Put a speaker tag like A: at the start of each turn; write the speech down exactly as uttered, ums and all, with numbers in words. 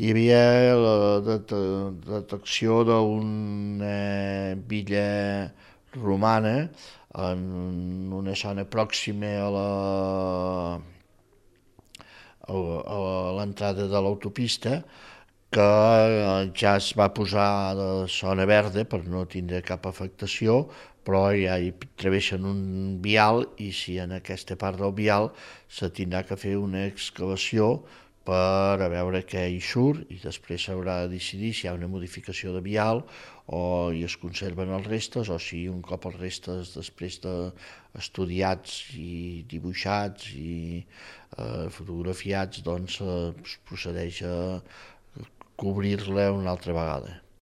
A: hi havia la det detecció d'una villa romana en una zona pròxima a la a l'entrada de l'autopista, que ja es va posar de zona verda per no tindre cap afectació, però ja hi travessen un vial i si en aquesta part del vial se tindrà que fer una excavació per a veure què hi surt i després s'haurà de decidir si hi ha una modificació de vial o hi es conserven els restes o si un cop els restes després d'estudiats i dibuixats i eh, fotografiats doncs eh, es procedeix a cobrir-la una altra vegada.